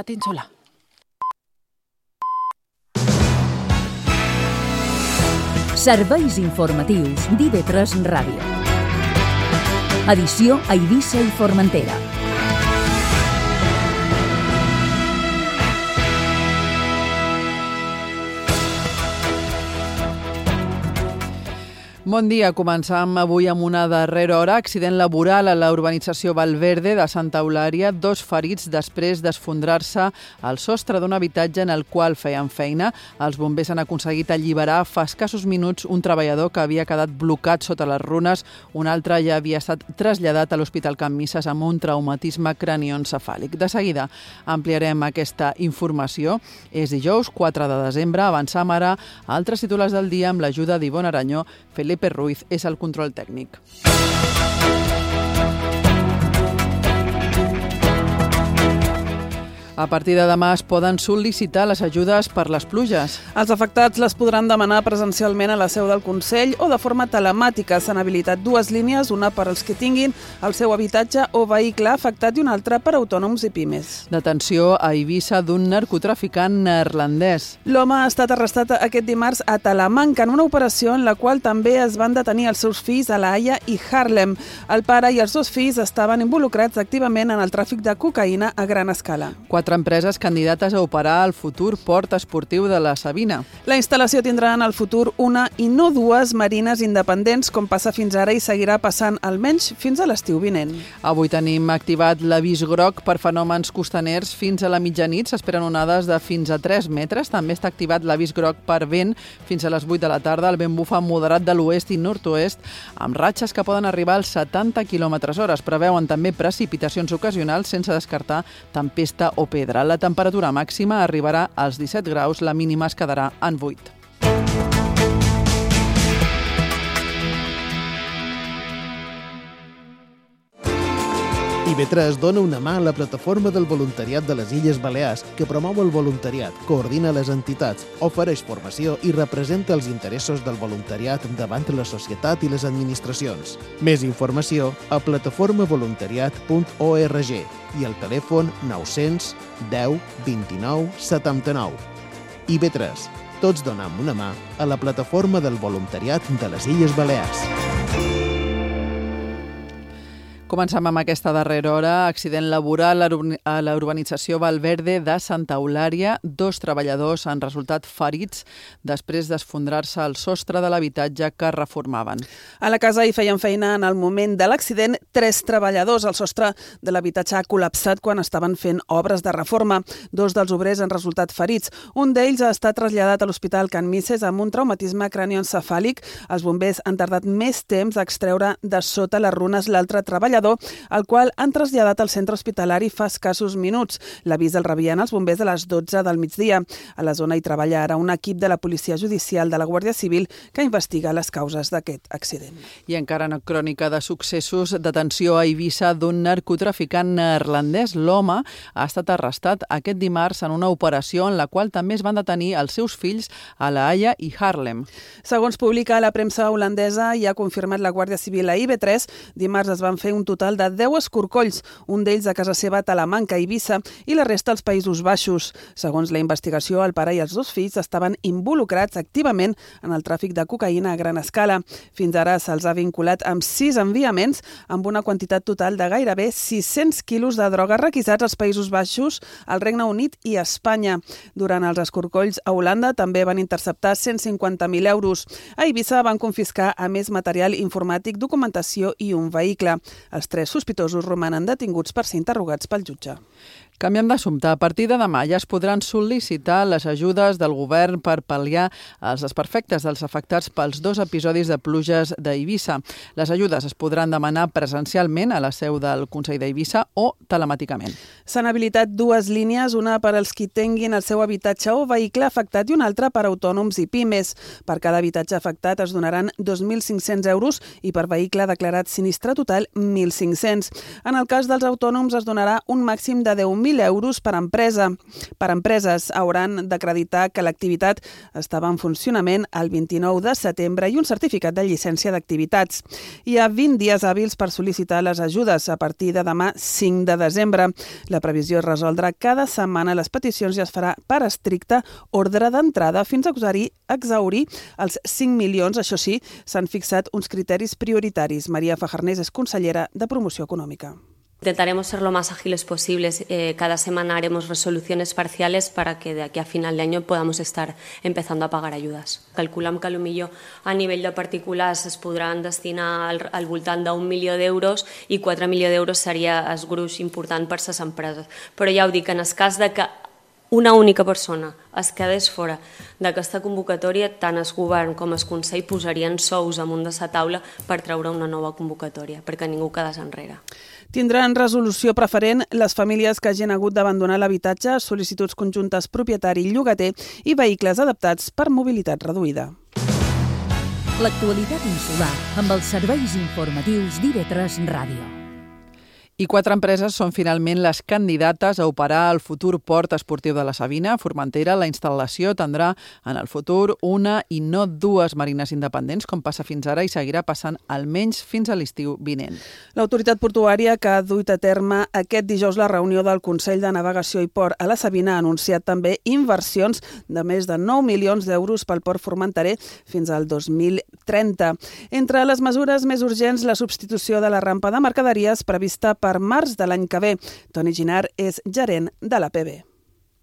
Península. Serveis informatius d'IV3 Ràdio. Edició a Eivissa i Formentera. Bon dia. Començam avui amb una darrera hora. Accident laboral a la urbanització Valverde de Santa Eulària. 2 ferits després d'esfondrar-se al sostre d'un habitatge en el qual feien feina. Els bombers han aconseguit alliberar fa escassos minuts un treballador que havia quedat blocat sota les runes. Un altre ja havia estat traslladat a l'Hospital Can Misses amb un traumatisme cranioencefàlic. De seguida ampliarem aquesta informació. És dijous, 4 de desembre. Avancem ara a altres titulars del dia amb l'ajuda d'Ivonne Aranyó. Felipe Ruiz és el control tècnic. A partir de demà es poden sol·licitar les ajudes per les pluges. Els afectats les podran demanar presencialment a la seu del Consell o de forma telemàtica. S'han habilitat 2 línies, una per als que tinguin el seu habitatge o vehicle afectat i una altra per a autònoms i pimes. Detenció a Eivissa d'un narcotraficant neerlandès. L'home ha estat arrestat aquest dimarts a Talamanca en una operació en la qual també es van detenir els seus fills a La Haia i Haarlem. El pare i els 2 fills estaven involucrats activament en el tràfic de cocaïna a gran escala. 4 empreses candidates a operar el futur port esportiu de la Sabina. La instal·lació tindrà en el futur una i no 2 marines independents, com passa fins ara i seguirà passant almenys fins a l'estiu vinent. Avui tenim activat l'avís groc per fenòmens costaners fins a la mitjanit. S'esperen onades de fins a 3 metres. També està activat l'avís groc per vent fins a les 8 de la tarda. El vent bufa moderat de l'oest i nord-oest amb ratxes que poden arribar als 70 km/h. Es preveuen també precipitacions ocasionals sense descartar tempesta o pedra. La temperatura màxima arribarà als 17 graus, la mínima es quedarà en 8. IV3 dona una mà a la plataforma del voluntariat de les Illes Balears, que promou el voluntariat, coordina les entitats, ofereix formació i representa els interessos del voluntariat davant la societat i les administracions. Més informació a plataformavoluntariat.org i al telèfon 900 10 29 79. IV3. Tots donem una mà a la plataforma del voluntariat de les Illes Balears. Comencem amb aquesta darrera hora. Accident laboral a la urbanització Valverde de Santa Eulària. 2 treballadors han resultat ferits després d'esfondrar-se al sostre de l'habitatge que reformaven. A la casa hi feien feina en el moment de l'accident 3 treballadors. El sostre de l'habitatge ha col·lapsat quan estaven fent obres de reforma. 2 dels obrers han resultat ferits. Un d'ells ha estat traslladat a l'Hospital Can Misses amb un traumatisme cranioencefàlic. Els bombers han tardat més temps a extreure de sota les runes l'altre treballador, el qual han traslladat al centre hospitalari fa escassos minuts. L'avís el rebien els bombers a les 12 del migdia. A la zona hi treballa ara un equip de la Policia Judicial de la Guàrdia Civil que investiga les causes d'aquest accident. I encara en crònica de successos, detenció a Eivissa d'un narcotraficant neerlandès. L'home ha estat arrestat aquest dimarts en una operació en la qual també es van detenir els seus fills a La Haia i Haarlem. Segons publica la premsa holandesa i ha confirmat la Guàrdia Civil a IB3, dimarts es van fer un total de 10 escorcolls, un d'ells a casa seva a Talamanca, Eivissa, i la resta als Països Baixos. Segons la investigació, el pare i els 2 fills estaven involucrats activament en el tràfic de cocaïna a gran escala. Fins ara se'ls ha vinculat amb 6 enviaments amb una quantitat total de gairebé 600 quilos de droga requisats als Països Baixos, al Regne Unit i a Espanya. Durant els escorcolls a Holanda també van interceptar 150.000 euros. A Eivissa van confiscar a més material informàtic, documentació i un vehicle. Els 3 sospitosos romanen detinguts per ser interrogats pel jutge. Canviem d'assumpte. A partir de demà ja es podran sol·licitar les ajudes del govern per pal·liar els desperfectes dels afectats pels 2 episodis de pluges d'Eivissa. Les ajudes es podran demanar presencialment a la seu del Consell d'Eivissa o telemàticament. S'han habilitat 2 línies, una per als qui tinguin el seu habitatge o vehicle afectat i una altra per a autònoms i pimes. Per cada habitatge afectat es donaran 2.500 euros i per vehicle declarat sinistre total 1.500. En el cas dels autònoms es donarà un màxim de 10.000 10.000 euros per empresa. Per empreses hauran d'acreditar que l'activitat estava en funcionament el 29 de setembre i un certificat de llicència d'activitats. Hi ha 20 dies hàbils per sol·licitar les ajudes a partir de demà 5 de desembre. La previsió és resoldre cada setmana les peticions i es farà per estricte ordre d'entrada fins a exhaurir els 5 milions. Això sí, s'han fixat uns criteris prioritaris. Maria Fajarnés és consellera de Promoció Econòmica. Intentaremos ser lo más ágiles posibles. Cada semana haremos resoluciones parciales para que de aquí a final de año podamos estar empezando a pagar ayudas. Calculem que potser a nivell de particulars es podran destinar al voltant d'1 milió d'euros i 4 milions d'euros seria el gruix important per les empreses. Però ja ho dic, en el cas de que una única persona es quedés fora d'aquesta convocatòria, tant el govern com el Consell posarien sous amunt de la taula per treure una nova convocatòria, perquè ningú quedés enrere. Tindran resolució preferent les famílies que hagin hagut d'abandonar l'habitatge, sol·licituds conjuntes propietari i llogater i vehicles adaptats per mobilitat reduïda. L'actualitat insular amb els serveis informatius d'IV3 Ràdio. I 4 empreses són finalment les candidates a operar el futur port esportiu de la Sabina. A Formentera, la instal·lació tindrà en el futur una i no 2 marines independents, com passa fins ara, i seguirà passant almenys fins a l'estiu vinent. L'autoritat portuària, que ha duit a terme aquest dijous la reunió del Consell de Navegació i Port a la Sabina, ha anunciat també inversions de més de 9 milions d'euros pel port formenterer fins al 2030. Entre les mesures més urgents, la substitució de la rampa de mercaderies prevista per març de l'any que ve. Toni Ginar és gerent de l'APB.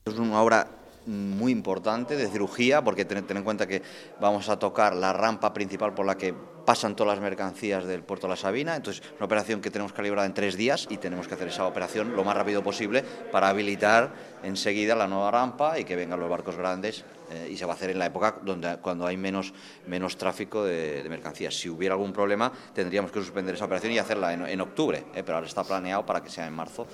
Es una obra muy importante de cirugía, porque ten en cuenta que vamos a tocar la rampa principal por la que pasan todas las mercancías del puerto de la Sabina. Entonces, una operación que tenemos calibrada en 3 días y tenemos que hacer esa operación lo más rápido posible para habilitar enseguida la nueva rampa y que vengan los barcos grandes, y se va a hacer en la época cuando hay menos tráfico de mercancías. Si hubiera algún problema, tendríamos que suspender esa operación y hacerla en octubre, pero ahora está planeado para que sea en marzo.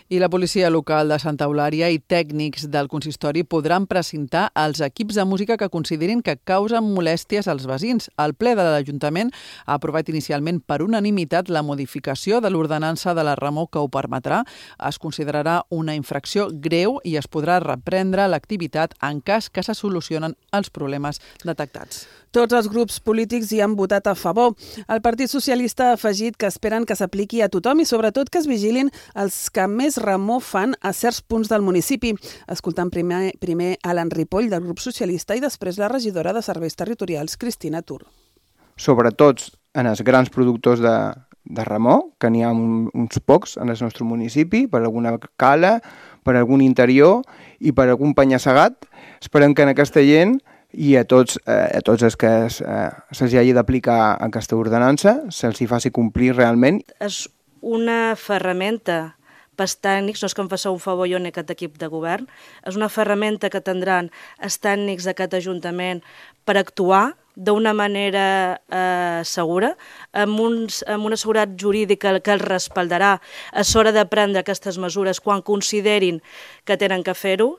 I la policia local de Santa Eulària i tècnics del consistori podran precintar els equips de música que considerin que causen molèsties als veïns. El ple de l'Ajuntament ha aprovat inicialment per unanimitat la modificació de l'ordenança de la Remor que ho permetrà. Es considerarà una infracció greu i es podrà reprendre l'activitat en cas que se solucionen els problemes detectats. Tots els grups polítics hi han votat a favor. El Partit Socialista ha afegit que esperen que s'apliqui a tothom i sobretot que es vigilin els que més remor fan a certs punts del municipi. Escoltant primer Alan Ripoll del grup socialista i després la regidora de Serveis Territorials, Cristina Tur. Sobretot en els grans productors de remor, que n'hi ha uns pocs en el nostre municipi, per alguna cala, per algun interior i per algun penya-segat. Esperem que en aquesta gent i a tots els que se'ls hagi d'aplicar aquesta ordenança se'ls hi faci complir realment. És una ferramenta pels tècnics, no és que em faci un favor jo en aquest equip de govern, és una ferramenta que tindran els tècnics d'aquest Ajuntament per actuar d'una manera segura, amb una seguretat jurídica que els respaldarà a l'hora de prendre aquestes mesures quan considerin que tenen que fer-ho.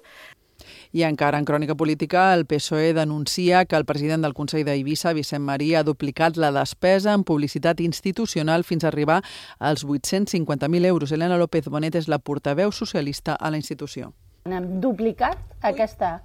I encara en crònica política, el PSOE denuncia que el president del Consell d'Eivissa, Vicent Marí, ha duplicat la despesa en publicitat institucional fins a arribar als 850.000 euros. Elena López Bonet és la portaveu socialista a la institució. Hem duplicat aquesta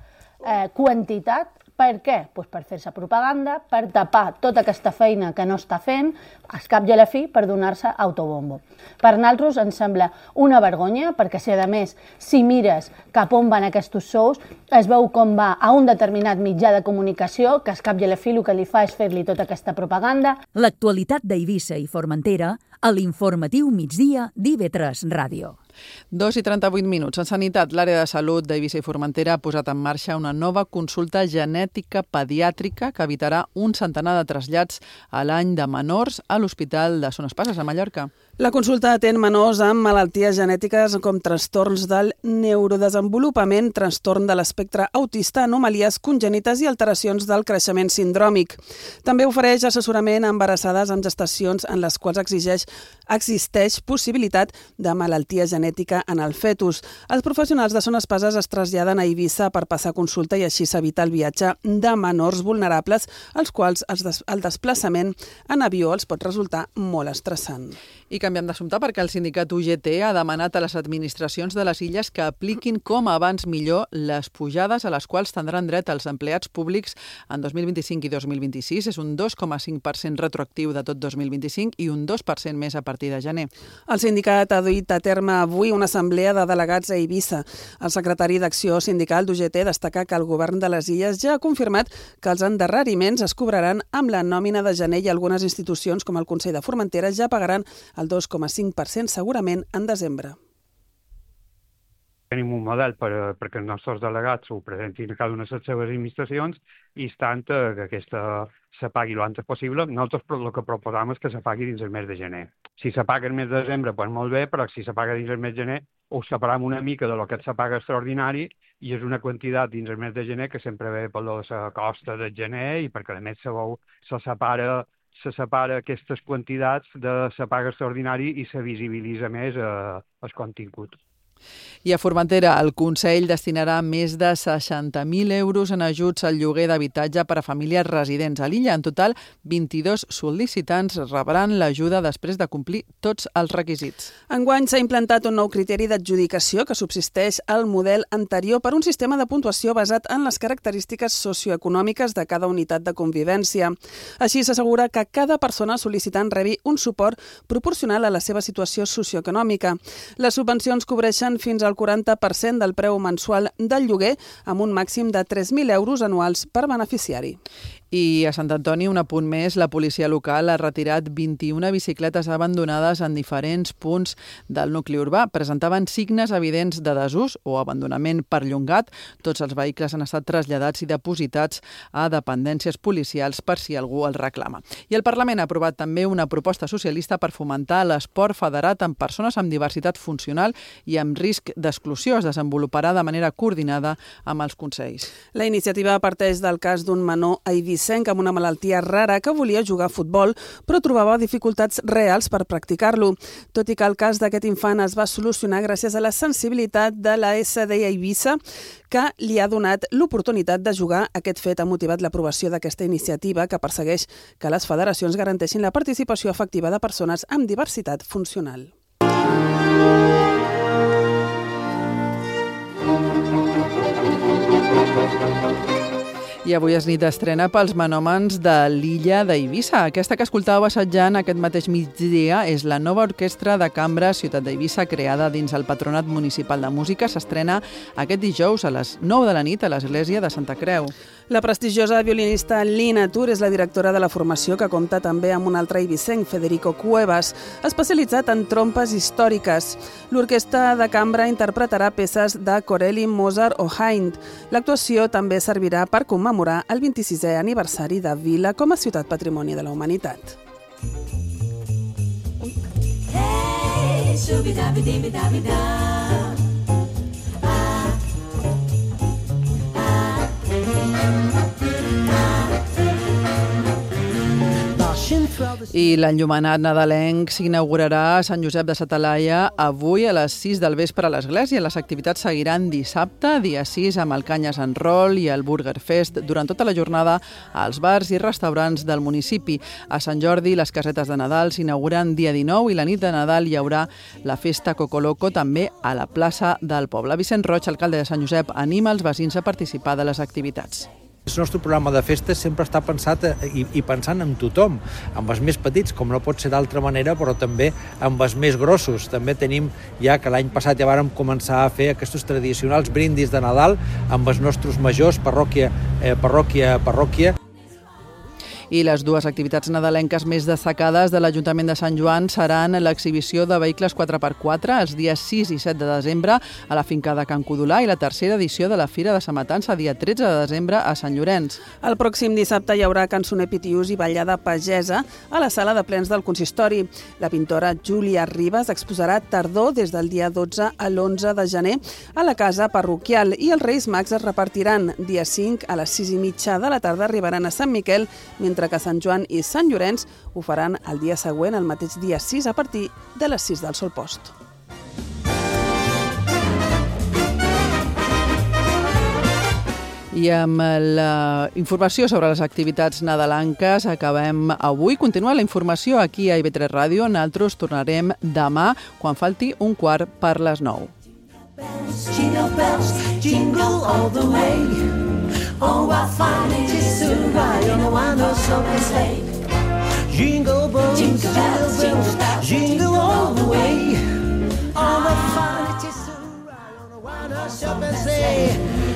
quantitat. Per què? Pues per fer-se propaganda, per tapar tota aquesta feina que no està fent, al cap i a la fi, per donar-se autobombo. Per nosaltres ens sembla una vergonya, perquè si a més, si mires cap on van aquests sous, es veu com va a un determinat mitjà de comunicació, que al cap i a la fi el que li fa és fer-li tota aquesta propaganda. L'actualitat d'Eivissa i Formentera a l'informatiu migdia d'IV3 Ràdio. 2:38. En sanitat, l'àrea de salut d'Eivissa i Formentera ha posat en marxa una nova consulta genètica pediàtrica que evitarà un centenar de trasllats a l'any de menors a l'Hospital de Son Espases, a Mallorca. La consulta atén menors amb malalties genètiques com trastorns del neurodesenvolupament, trastorn de l'espectre autista, anomalies congènites i alteracions del creixement sindròmic. També ofereix assessorament a embarassades amb gestacions en les quals existeix possibilitat de malaltia genètica en el fetus. Els professionals de Son Espases es traslladen a Eivissa per passar consulta i així s'evita el viatge de menors vulnerables, als quals el desplaçament en avió els pot resultar molt estressant. I canviem d'assumpte perquè el sindicat UGT ha demanat a les administracions de les illes que apliquin com abans millor les pujades a les quals tindran dret els empleats públics en 2025 i 2026. És un 2,5% retroactiu de tot 2025 i un 2% més a partir de gener. El sindicat ha duit a terme avui una assemblea de delegats a Eivissa. El secretari d'Acció Sindical d'UGT destaca que el govern de les illes ja ha confirmat que els endarreriments es cobraran amb la nòmina de gener i algunes institucions com el Consell de Formentera ja pagaran el 2,5% segurament en desembre. Tenim un model perquè els nostres delegats ho presentin a cada una de les seves administracions i estant que aquesta se pagui l'antes possible. Nosaltres el que proposam és que se pagui dins el mes de gener. Si se paga el mes de desembre, doncs molt bé, però si se paga dins el mes de gener, ho separam una mica de lo que se paga extraordinari i és una quantitat dins el mes de gener que sempre ve per la costa de gener i perquè a més se separa aquestes quantitats de la paga extraordinari i se visibilitza més el contingut. I a Formentera, el Consell destinarà més de 60.000 euros en ajuts al lloguer d'habitatge per a famílies residents a l'illa. En total, 22 sol·licitants rebran l'ajuda després de complir tots els requisits. Enguany s'ha implantat un nou criteri d'adjudicació que subsisteix al model anterior per un sistema de puntuació basat en les característiques socioeconòmiques de cada unitat de convivència. Així s'assegura que cada persona sol·licitant rebi un suport proporcional a la seva situació socioeconòmica. Les subvencions cobreixen fins al 40% del preu mensual del lloguer, amb un màxim de 3.000 euros anuals per beneficiari. I a Sant Antoni, un apunt més, la policia local ha retirat 21 bicicletes abandonades en diferents punts del nucli urbà. Presentaven signes evidents de desús o abandonament perllongat. Tots els vehicles han estat traslladats i depositats a dependències policials per si algú els reclama. I el Parlament ha aprovat també una proposta socialista per fomentar l'esport federat amb persones amb diversitat funcional i amb risc d'exclusió. Es desenvoluparà de manera coordinada amb els consells. La iniciativa parteix del cas d'un menor a Eivissa amb una malaltia rara que volia jugar a futbol, però trobava dificultats reals per practicar-lo. Tot i que el cas d'aquest infant es va solucionar gràcies a la sensibilitat de la SD a Eivissa, que li ha donat l'oportunitat de jugar. Aquest fet ha motivat l'aprovació d'aquesta iniciativa que persegueix que les federacions garanteixin la participació efectiva de persones amb diversitat funcional. I avui és nit d'estrena pels menòmens de l'illa d'Eivissa. Aquesta que escoltàveu assetjant aquest mateix migdia és la nova orquestra de cambra Ciutat d'Eivissa, creada dins el Patronat Municipal de Música. S'estrena aquest dijous a les 9 de la nit a l'església de Santa Creu. La prestigiosa violinista Lina Tur és la directora de la formació, que compta també amb un altre eivissenc, Federico Cuevas, especialitzat en trompes històriques. L'orquestra de cambra interpretarà peces de Corelli, Mozart o Haydn. L'actuació també servirà per commemorar el 26è aniversari de Vila com a ciutat patrimoni de la humanitat. I l'enllumenat nadalenc s'inaugurarà a Sant Josep de sa Talaia avui a les 6 del vespre a l'església. Les activitats seguiran dissabte, dia 6, amb el Canyes en Roll i el Burger Fest durant tota la jornada als bars i restaurants del municipi. A Sant Jordi, les casetes de Nadal s'inauguren dia 19 i la nit de Nadal hi haurà la festa Cocoloco també a la plaça del poble. Vicent Roig, alcalde de Sant Josep, anima els veïns a participar de les activitats. El nostre programa de festes sempre està pensat i pensant en tothom, amb els més petits, com no pot ser d'altra manera, però també amb els més grossos. També tenim ja que l'any passat ja vàrem començar a fer aquests tradicionals brindis de Nadal amb els nostres majors, parròquia. I les dues activitats nadalenques més destacades de l'Ajuntament de Sant Joan seran l'exhibició de vehicles 4x4 els dies 6 i 7 de desembre a la finca de Can Codolà i la tercera edició de la Fira de Sa Matança, dia 13 de desembre a Sant Llorenç. El pròxim dissabte hi haurà cançoner pitiús i ballada pagesa a la sala de plens del consistori. La pintora Júlia Ribas exposarà tardor des del dia 12 a l'11 de gener a la casa parroquial i els Reis Mags es repartiran. Dia 5 a les 6:30 de la tarda arribaran a Sant Miquel, mentre que Sant Joan i Sant Llorenç ho faran el dia següent, el mateix dia 6, a partir de les 6 del sol post. I amb la informació sobre les activitats nadalenques acabem avui. Continua la informació aquí a IB3 Ràdio. Nosaltres tornarem demà quan falti 9:15. Jingle bells, jingle all the way. Oh, what fun it is to ride in a one-horse open sleigh. Jingle bells, jingle bells, jingle all the way. Oh, what fun it is to ride on a one-horse open sleigh.